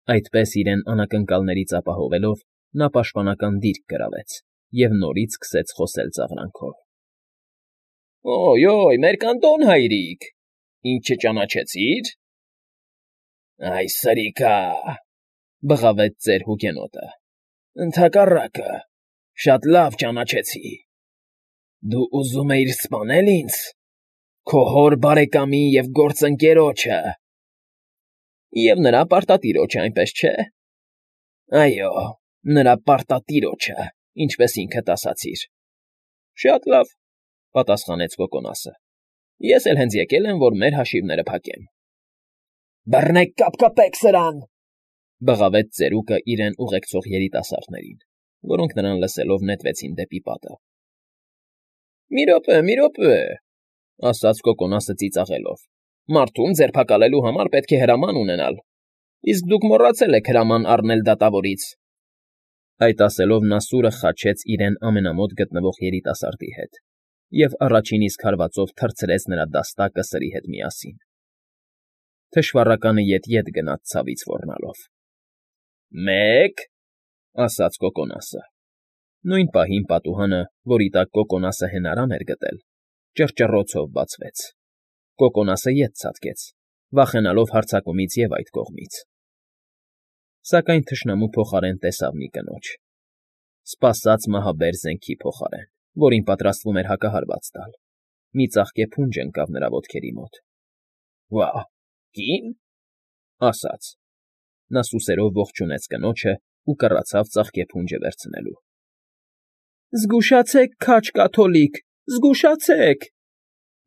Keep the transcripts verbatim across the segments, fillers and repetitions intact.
Այդպես իրեն անակնկալներից ապահովելով՝ նա պաշտպանական դիրք գրավեց և նորից սկսեց խոսել ծաղրանքով. ֊ Օյ֊օյ, մերկանդոն հայրիկ, ինձ չճանաչեցի՞ր։ ֊ Այ սրիկա՜,֊ բղավեց ծեր հուգենոտը,֊ ընդհակառակը, շատ լավ ճանաչեցի. դու ուզում էիր սպանե՞լ ինձ, քո հոր բարեկամին և գործընկերոջը… և նրա պարտատիրոջը, այնպես չէ՞։ ֊ Այո, նրա պարտատիրոջը, ինչպես ինքդ ասացիր։ ֊ Շատ լավ,֊ պատասխանեց Կոկոնասը,֊ ես էլ հենց եկել եմ, որ մեր հաշիվները փակեմ։ ֊ Բռնեք, կապկպեք սրան,֊ բղավեց ծերուկը իրեն ուղեկցող երիտասարդներին, որոնք նրան լսելով նետվեցին դեպի պատը։ ֊ Մի րոպե, մի րոպե,֊ ասաց Կոկոնասը ծիծաղելով,֊ մարդուն ձերբակալելու համար պետք է հրաման ունենալ, իսկ դուք մոռացել եք հրաման առնել դատավորից… Այդ ասելով նա սուրը խաչեց իրեն ամենամոտ գտնվող երիտասարդի հետ և առաջին իսկ հարվածով թռցրեց նրա դաստակը սրի հետ միասին։ Թշվառականը ետ֊ետ գնաց ցավից ոռնալով։ ֊ Մեկ,֊ ասաց Կոկոնասը։ Նույն պահին պատուհանը, որի տակ Կոկոնասը հենարան էր գտել, ճռճռոցով բացվեց։ Կոկոնասը ետ ցատկեց, վախենալով հարձակումից և այդ կողմից։ Սակայն թշնամու փոխարեն տեսավ մի կնոջ… Սպասած մահաբեր զենքի փոխարեն, որին պատրաստվում էր հակահարված տալ, մի ծաղկե փունջ ընկավ նրա ոտքերի մոտ։ ֊ Վա՜, կի՞ն,֊ ասաց։ Նա սուսերով ողջունեց կնոջն ու կռացավ ծաղկե փունջը վերցնելու։ ֊ Զգուշացե՛ք, քաջ կաթոլիկ, զգուշացե՛ք,֊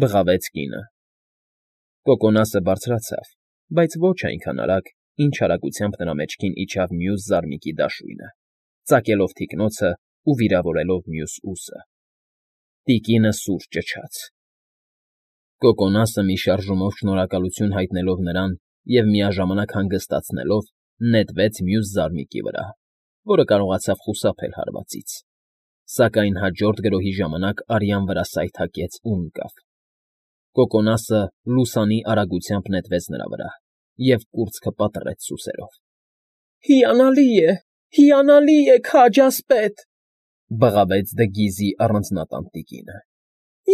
բղավեց կինը։ Կոկոնասը բարձրացավ, բայց ոչ այնքան արագ, ինչ արագությամբ նրա մեջքին իջավ մյուս զարմիկի դաշույնը, ծակելով թիկնոցն ու վիրավորելով մյուս ուսը։ Տիկինը սուր ճչաց։ Կոկոնասը մի շարժումով շնորհակալություն հայտնելով նրան և միաժամանակ հանգստացնելով, նետվեց մյուս զարմիկի վրա, որը կարողացավ խուսափել հարվածից, սակայն հաջորդ գրոհի ժամանակ արյան վրա սայթաքեց ու ընկավ։ Կոկոնասը լուսանի արագությամբ նետվեց նրա վրա և կուրծքը պատռեց սուսերով։ ֊ Հիանալի է, հիանալի է, քաջ ասպետ,֊ բղավեց դգիզի առանձնատան տիկինը։֊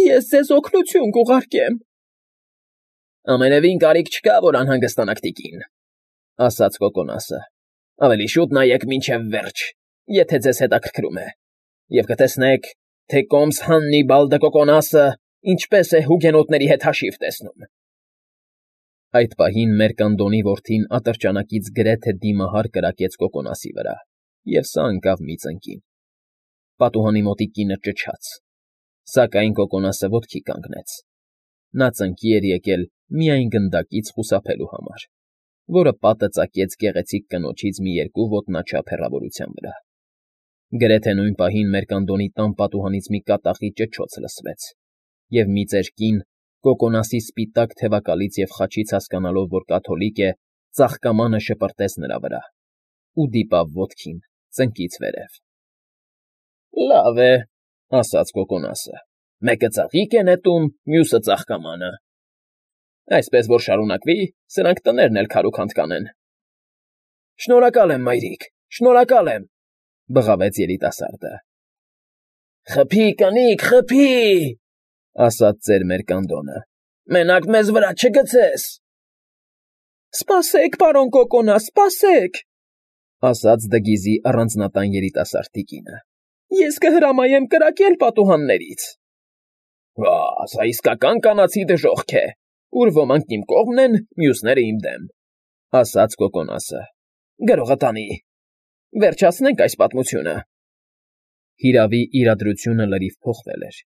Ես ձեզ օգնություն կուղարկեմ։ ֊ Ամենևին կարիք չկա, որ անհանգստանաք, տիկին,֊ ասաց Կոկոնասը,֊ ավելի շուտ նայեք մինչև վերջ, եթե ձեզ հետաքրքրում է, և կտեսնեք, թե կոմս Հաննիբալ դը Կոկոնասը ինչպես է հուգենոտների հետ հաշիվ տեսնում։ Այդ պահին մերկանդոնի որդին ատրճանակից գրեթե դիմահար կրակեց Կոկոնասի վրա, և սա ընկավ մի ծնկին։ Պատուհանի մոտիկ կինը ճչաց, սակայն Կոկոնասը ոտքի կանգնեց։ Նա ծնկի էր եկել միայն գնդակից խուսափելու համար, որը պատը ծակեց գեղեցիկ կնոջից մի երկու ոտնաչափ հեռավորության վրա։ Գրեթե նույն պահին մերկանդոնի տան պատուհանից մի կատաղի ճչոց լսվեց, և մի ծեր կին, Կոկոնասի սպիտակ թևակալից և խաչից հասկանալով, որ կաթոլիկ է, ծաղկամանը շպրտեց նրա վրա ու դիպավ ոտքին ծնկից վերև։ ֊ Լավ է,֊ ասաց Կոկոնասը,֊ մեկը ծաղիկ է նետում, մյուսը ծաղկամանը… Այսպես որ շարունակվի, սրանք տներն էլ քարուքանդ կանեն։ ֊ Շնորհակալ եմ, մայրիկ, շնորհակալ եմ,֊ բղավեց երիտասարդը։ ֊ Խփի, կնիկ, խփի,֊ ասաց ծեր Մերկանդոնը,֊ մենակ մեզ վրա չգցես։ ֊ Սպասեք, պարոն Կոկոնաս, սպասեք,֊ ասաց դգիզի առանձնատան երիտասարդ տիկինը,֊ ես կհրամայեմ կրակել պատուհաններից։ ֊ Վա, սա իսկական կանացի դժոխք է, ուր ոմանք իմ կողմն են, մյուսները իմ դեմ,֊ ասաց Կոկոնասը։ ֊ Գրողը տանի, վերջացնենք այս պատմությունը… Հիրավի, իրադրությունը լրիվ փոխվել էր,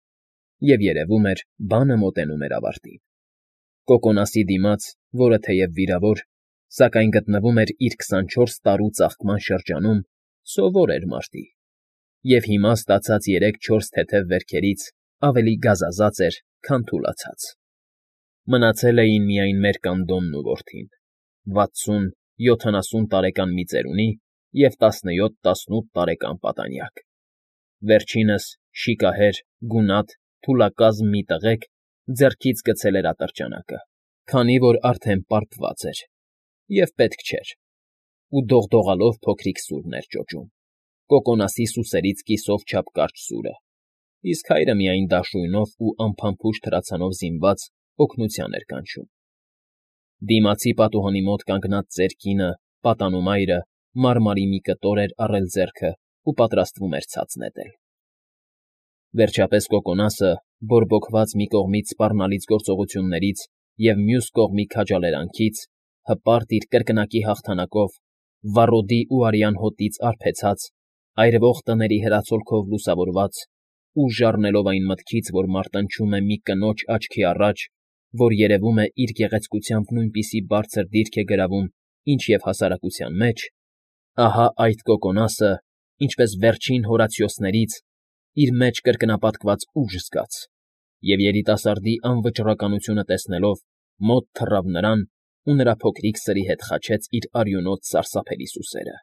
և երևում էր, բանը մոտենում էր ավարտին։ Կոկոնասի դիմաց, որը թեև վիրավոր, սակայն գտնվում էր իր քսանչորս տարու ծաղկման շրջանում, սովոր էր մարտի, և հիմա ստացած երեք֊չորս թեթև վերքերից ավելի գազազած էր, քան թուլացած։ Մնացել էին միայն Մերկանդոնն ու որդին, վաթսուն֊յոթանասուն տարեկան մի ծերունի և տասնյոթ֊տասնութ տարեկան պատանյակ։ Վերջինս, շիկահեր, գունատ, թուլակազմ մի տղեկ ձեռքից գցել էր ատրճանակը, քանի որ արդեն պարփված էր, և պետք չէր։ ու դողդողալով փոքրիկ սուրն էր ճոճում, կոկոնասի սուսերից կիսով չափ կարճ սուրը, իսկ հայրը միայն դաշույնով ու անփամփուշտ հրացանով զինված օգնության էր կանչում։ Դիմացի պատուհանի մոտ կանգնած ծեր կինը, պատանու մայրը, մարմարի մի կտոր էր առել ձեռքը ու պատրաստվում էր ցած նետել։ Վերջապես Կոկոնասը, բորբոքված մի կողմից սպառնալից գործողություններից և մյուս կողմի քաջալերանքից, հպարտ իր կրկնակի հաղթանակով, վառոդի ու արյան հոտից արբեցած, այրվող տների հրացոլքով լուսավորված, ուժ առնելով այն մտքից, որ մարտնչում է մի կնոջ աչքի առաջ, որ երևում է իր գեղեցկությամբ նույնպիսի բարձր դիրք է գրավում, ինչ և հասարակության մեջ, ահա այդ Կոկոնասը, ինչպես վերջին Հորացիոսներից, իր մեջ կրկնապատկված ուժ զգաց, և երիտասարդի անվճռականությունը տեսնելով, մոտ թռավ նրան ու նրա փոքրիկ սրի հետ խաչեց իր արյունոտ սարսափելի սուսերը։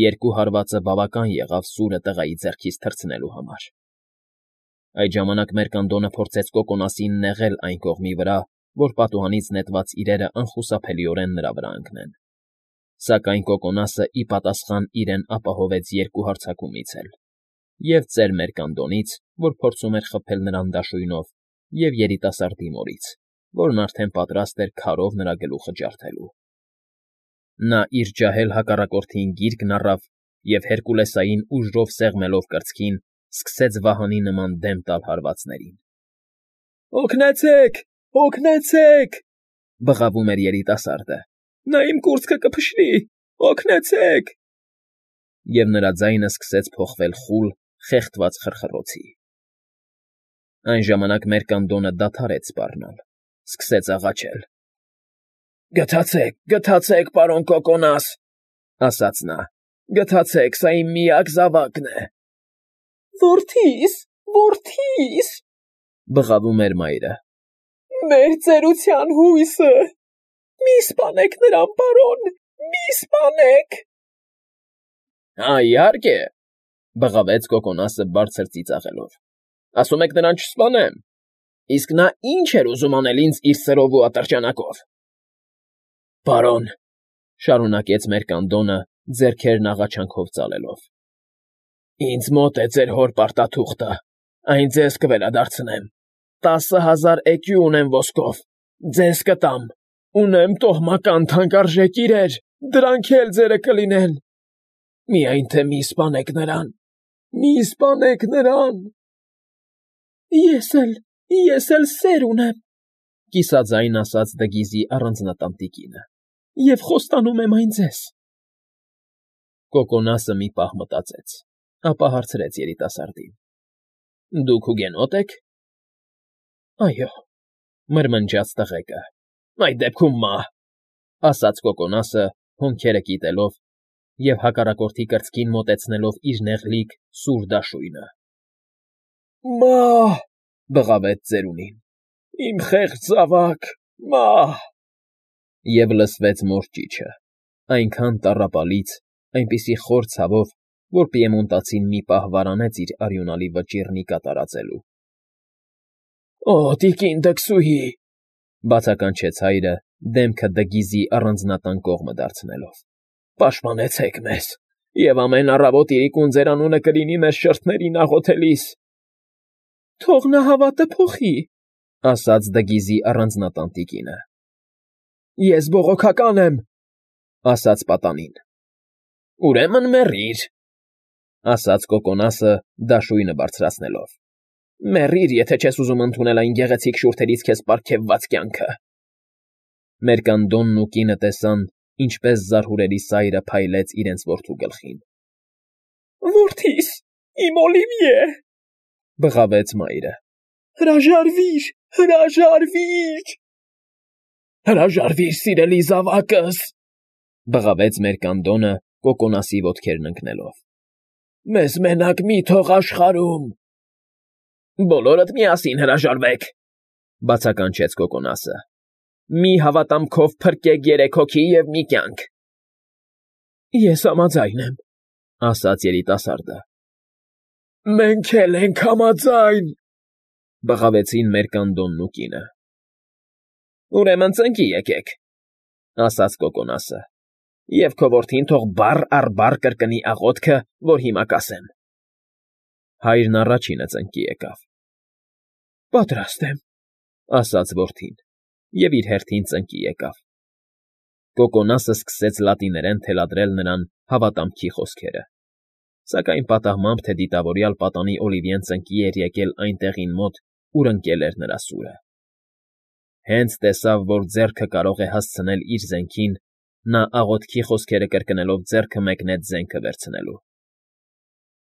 Երկու հարվածը բավական եղավ սուրը տղայի ձեռքից թռցնելու համար։ Այդ ժամանակ Մերկանդոնը փորձեց Կոկոնասին նեղել այն կողմի վրա, որ պատուհանից նետված իրերը անխուսափելիորեն նրա վրա ընկնեն։ Սակայն Կոկոնասը ի պատասխան իրեն ապահովեց երկու հարձակումից էլ, և ծեր Մերկանդոնից, որ փորձում էր խփել նրան դաշույնով, և երիտասարդի մորից, որն արդեն պատրաստ էր քարով նրա գլուխը ջարդելու։ Նա իր ջահել հակառակորդին գիրկն առավ և հերկուլեսային ուժով սեղմելով կրծքին, սկսեց վահանի նման դեմ տալ հարվածներին։ «Օգնեցե՛ք, օգնեցե՛ք,» բղավում էր երիտասարդը։ «Նա իմ կուրծքը կփշրի, օգնեցե՛ք»։ Եվ նրա ձայնը սկսեց փոխվել խուլ, խեղդված խռխռոցի։ Այն ժամանակ Մերկանդոնը դադարեց սպառնալ, սկսեց աղաչել։ «Գթացեք, գթացեք, պարոն Կոկոնաս,֊ ասաց նա,֊ գթացեք, սա իմ միակ զավակն է»։ «Որդի՛ս, որդի՛ս,֊ բղավում էր մայրը,֊ մեր ծերության հույսը… Մի սպանեք նրան, պարոն, մի սպանեք»։ «Հա, իհարկե,֊ բղավեց Կոկոնասը բարձր ծիծաղելով,֊ ասում եք նրան չսպանեմ… Իսկ նա ի՞նչ էր ուզում անել ինձ իր սրով ու ատրճանակով»։ «Պարոն,֊ շարունակեց Մերկանդոնը, ձեռքերն աղաչանքով ծալելով,֊ ինձ մոտ է ձեր հոր պարտաթուղթը, այն ձեզ կվերադարձնեմ, տասը հազար էկյու ունեմ ոսկով, ձեզ կտամ, ունեմ տոհմական թանկարժեք իրեր, դրանք էլ ձերը կլինեն… Միայն թե մի սպանեք նրան, մի սպանեք նրան»։ «Ես էլ, ես էլ սեր ունեմ,֊ կիսաձայն ասաց Դգիզի առանձնատան տիկինը,֊ և խոստանում եմ այն ձեզ»։ Կոկոնասը մի պահ մտածեց, ապա հարցրեց երիտասարդին. «Դուք հուգենո՞տ եք»։ «Այո,֊ մրմնջաց տղեկը,֊ այդ դեպքում մահ», ասաց Կոկոնասը, հոնքերը կիտելով և հակառակորդի կրծքին մոտեցնելով իր նեղլիկ սուր դաշույնը։ «Մահ,֊ բղավեց ծերունին,֊ իմ խեղճ զավակ, մահ»։ Եվ լսվեց մոր ճիչը, այնքան տառապալից, այնպիսի խոր ցավով, որ պիեմոնտացին մի պահ վարանեց իր արյունալի վճիռնի կատարածելու։ «Օ, տիկին դքսուհի,֊ բացականչեց հայրը, դեմքը Դգիզի առանձնատան կողմը դարձնելով,֊ պաշտպանեցեք մեզ, և ամեն առավոտ իրիկուն ձեր անունը կլինի մեր շրթերին աղոթելիս»։ «Թող նա հավատը փոխի,֊ ասաց Դգիզի առանձնատան տիկինը։ «Ես բողոքական եմ,֊ ասաց պատանին։ «Ուրեմն մեռիր,֊ ասաց Կոկոնասը, դաշույնը բարձրացնելով։ «Մեռիր, եթե չես ուզում ընդունել այն գեղեցիկ շուրթերից քեզ պարգևված կյանքը»։ Մերկանդոնն ու կինը տեսան, ինչպես զարհուրելի սայրը փայլեց իրենց որդու գլխին։ «Որդիս, իմ Օլիվիե,֊ բղավեց մայրը,֊ հրաժարվիր, հրաժարվիր»։ «Հրաժարվիր, սիրելի զավակս,֊ բղավեց Մերկանդոնը, Կոկոնասի ոտքերն ընկնելով,֊ մեզ մենակ մի թող աշխարհում»։ «Բոլորդ միասին հրաժարվեք,֊ բացականչեց Կոկոնասը,֊ մի հավատամքով փրկեք երեք հոգի և մի կյանք»։ «Ես համաձայն եմ,֊ ասաց երիտասարդը։ «Մենք էլ ենք համաձայն,֊ բղավեցին Մերկանդոնն ու կինը։ «Ուրեմն ծնկի եկեք,֊ ասաց Կոկոնասը, Եվ քո որդին թող բառ առ բառ կրկնի աղոթքը, որ հիմա կասեմ։ Հայրն առաջինը ծնկի եկավ։ Պատրաստ եմ, ասաց որդին, և իր հերթին ծնկի եկավ։ Կոկոնասը սկսեց լատիներեն թելադրել նրան հավատամքի խոսքերը, սակայն պատահմամբ, թե դիտավորյալ պատանի Օլիվիեն ծնկի էր եկել այն տեղին մոտ, ուր ընկել էր նրա սուրը։ Հենց տեսավ, որ ձեռքը կարող է հասցնել իր զենքին, նա աղոթքի խոսքերը կրկնելով ձեռքը մեկնեց զենքը վերցնելու։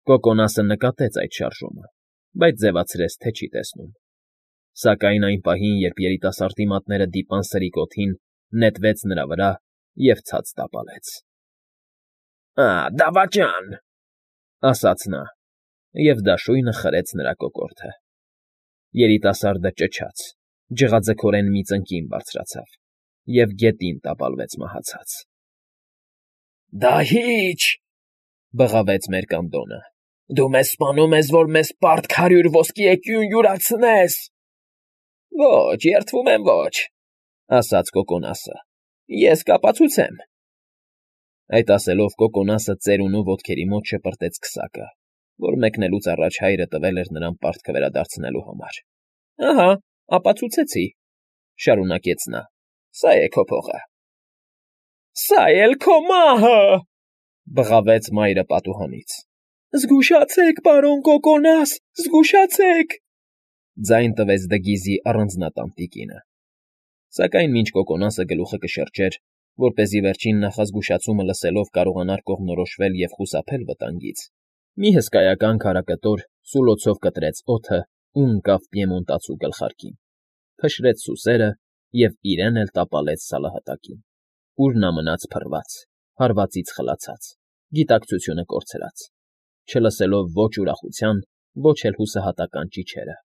Կոկոնասը նկատեց այդ շարժումը, բայց ձևացրեց, թե չի տեսնում։ Սակայն այն պահին, երբ երիտասարդի մատները դիպան սրիկ օդին, նետվեց նրա վրա և ցած տապալեց։ ֊ Ա, դավաճան,֊ ասաց նա, և դաշույնը խրեց նրա կոկորդը։ Երիտասարդը ճչաց, ջղաձգորեն մի ծնկին բարձրացավ և գետին տապալվեց մահացած։ ֊ Դահի՛ճ,֊ բղավեց մերկանդոնը,֊ դու մեզ սպանում ես, որ մեզ պարտք հարյուր ոսկի էկյուն յուրացնես։ ֊ Ոչ, երդվում եմ, ոչ,֊ ասաց Կոկոնասը,֊ ես կապացուցեմ։ Այդ ասելով Կոկոնասը ծերունու ոտքերի մոտ շպրտեց քսակը, որ մեկնելուց առաջ հայրը տվել էր նրան պարտքը վերադարձնելու համար։ ֊ Ահա, ապացուցեցի,֊ շարունակեց նա,֊ սա է քո փողը։ ֊ Սա էլ քո մահը,֊ բղավեց մայրը պատուհանից։ ֊ Զգուշացե՛ք, պարոն Կոկոնաս, զգուշացե՛ք,֊ ձայն տվեց Դգիզի առանձնատան տիկինը։ Սակայն մինչ Կոկոնասը գլուխը կշրջեր, որպեսզի վերջին նախազգուշացումը լսելով կարողանար կողմնորոշվել և խուսափել վտանգից, մի հսկայական քարակտոր սուլոցով կտրեց օդը ու ընկավ Պիեմոնտացու գլխարկին, փշրեց սուսերը և իրեն էլ տապալեց սալահատակին, ուր նա մնաց փռված, հարվածից խլացած, գիտակցությունը կորցրած, չլսելով ոչ ուրախության, ոչ էլ հուսահատական ճիչերը,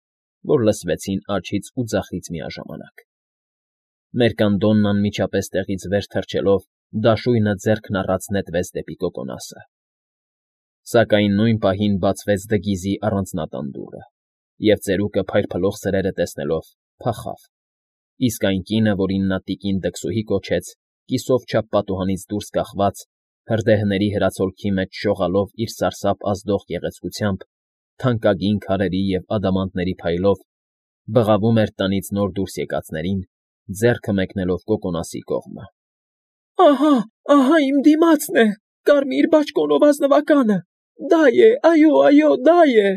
որ լսվեցին աջից ու ձախից միաժամանակ։ Մերկանդոնն անմիջապես տեղից վեր թռչելով դաշույնը ձեռքն առած նետվեց դեպի Կոկոնասը։ Սակայն նույն պահին բացվեց Դգիզի առանձնատան դուռը, և ծերուկը փայլփլող սրերը տեսնելով փախավ, իսկ այն կինը, որին նա տիկին դքսուհի կոչեց, կիսով չափ պատուհանից դուրս կախված, հրդեհների հրացոլքի մեջ շողալով իր սարսափ ազդող գեղեցկությամբ, թանկագին քարերի և ադամանդների փայլով, բղավում էր տնից նոր դուրս եկածներին, ձեռքը մեկնելով Կոկոնասի կողմը։ ֊ Ահա, ահա իմ դիմացն է, կարմիր բաճկոնով ազնվականը, դա է, այո, այո, դա է։